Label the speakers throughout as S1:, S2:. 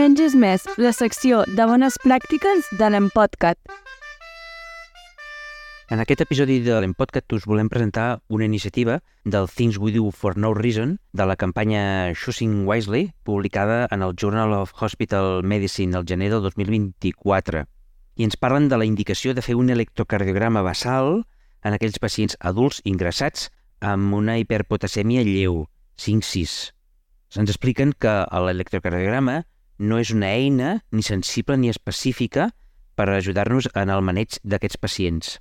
S1: Menys és més, la secció de bones pràctiques de l'Empodcat.
S2: En aquest episodi de l'Empodcat us volem presentar una iniciativa del Things We Do for No Reason de la campanya Choosing Wisely, publicada en el Journal of Hospital Medicine el gener del 2024. I ens parlen de la indicació de fer un electrocardiograma basal en aquells pacients adults ingressats amb una hiperpotasèmia lleu, 5-6. Ens expliquen que l'electrocardiograma no és una eina ni sensible ni específica per ajudar-nos en el maneig d'aquests pacients.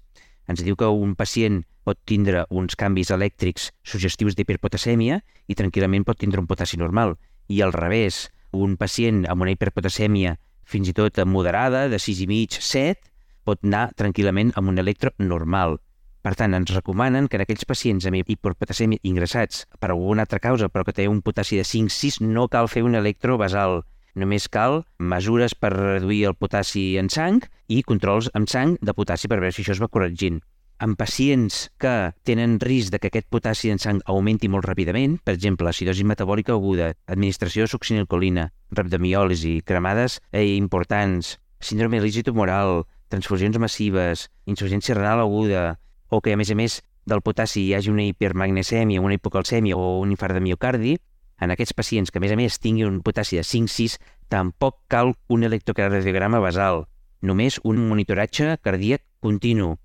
S2: Ens diu que un pacient pot tindre uns canvis elèctrics suggestius d'hiperpotasèmia i tranquil·lament pot tindre un potassi normal. I al revés, un pacient amb una hiperpotasèmia fins i tot moderada, de 6,5-7, pot anar tranquil·lament amb un electro normal. Per tant, ens recomanen que en aquells pacients amb hiperpotasèmia ingressats per alguna altra causa, però que té un potassi de 5-6, no cal fer un electro basal. Només cal mesures per reduir el potassi en sang i controls amb sang de potassi per veure si això es va corregint. En pacients que tenen risc de que aquest potassi en sang augmenti molt ràpidament, per exemple, acidosi metabòlica aguda, administració de succinilcolina, rhabdomiòlisi, cremades importants, síndrome de l'èxit tumoral, transfusions massives, insuficiència renal aguda, o que, a més del potassi hi hagi una hipermagnesèmia, una hipocalcèmia o un infart de miocardi, en aquests pacients que, a més, tinguin un potassi de 5-6, tampoc cal un electrocardiograma basal, només un monitoratge cardíac continu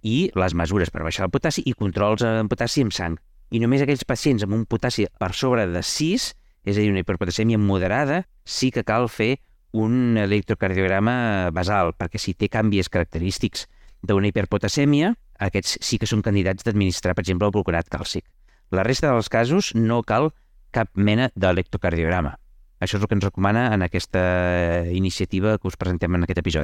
S2: i les mesures per baixar el potassi i controls en potassi amb sang. I només aquells pacients amb un potassi per sobre de 6, és a dir, una hiperpotasèmia moderada, sí que cal fer un electrocardiograma basal, perquè si té canvis característics d'una hiperpotasèmia, aquests sí que són candidats d'administrar, per exemple, el gluconat càlcic. La resta dels casos no cal cap mena d'electrocardiograma. Això és el que ens recomana en aquesta iniciativa que us presentem en aquest episodi.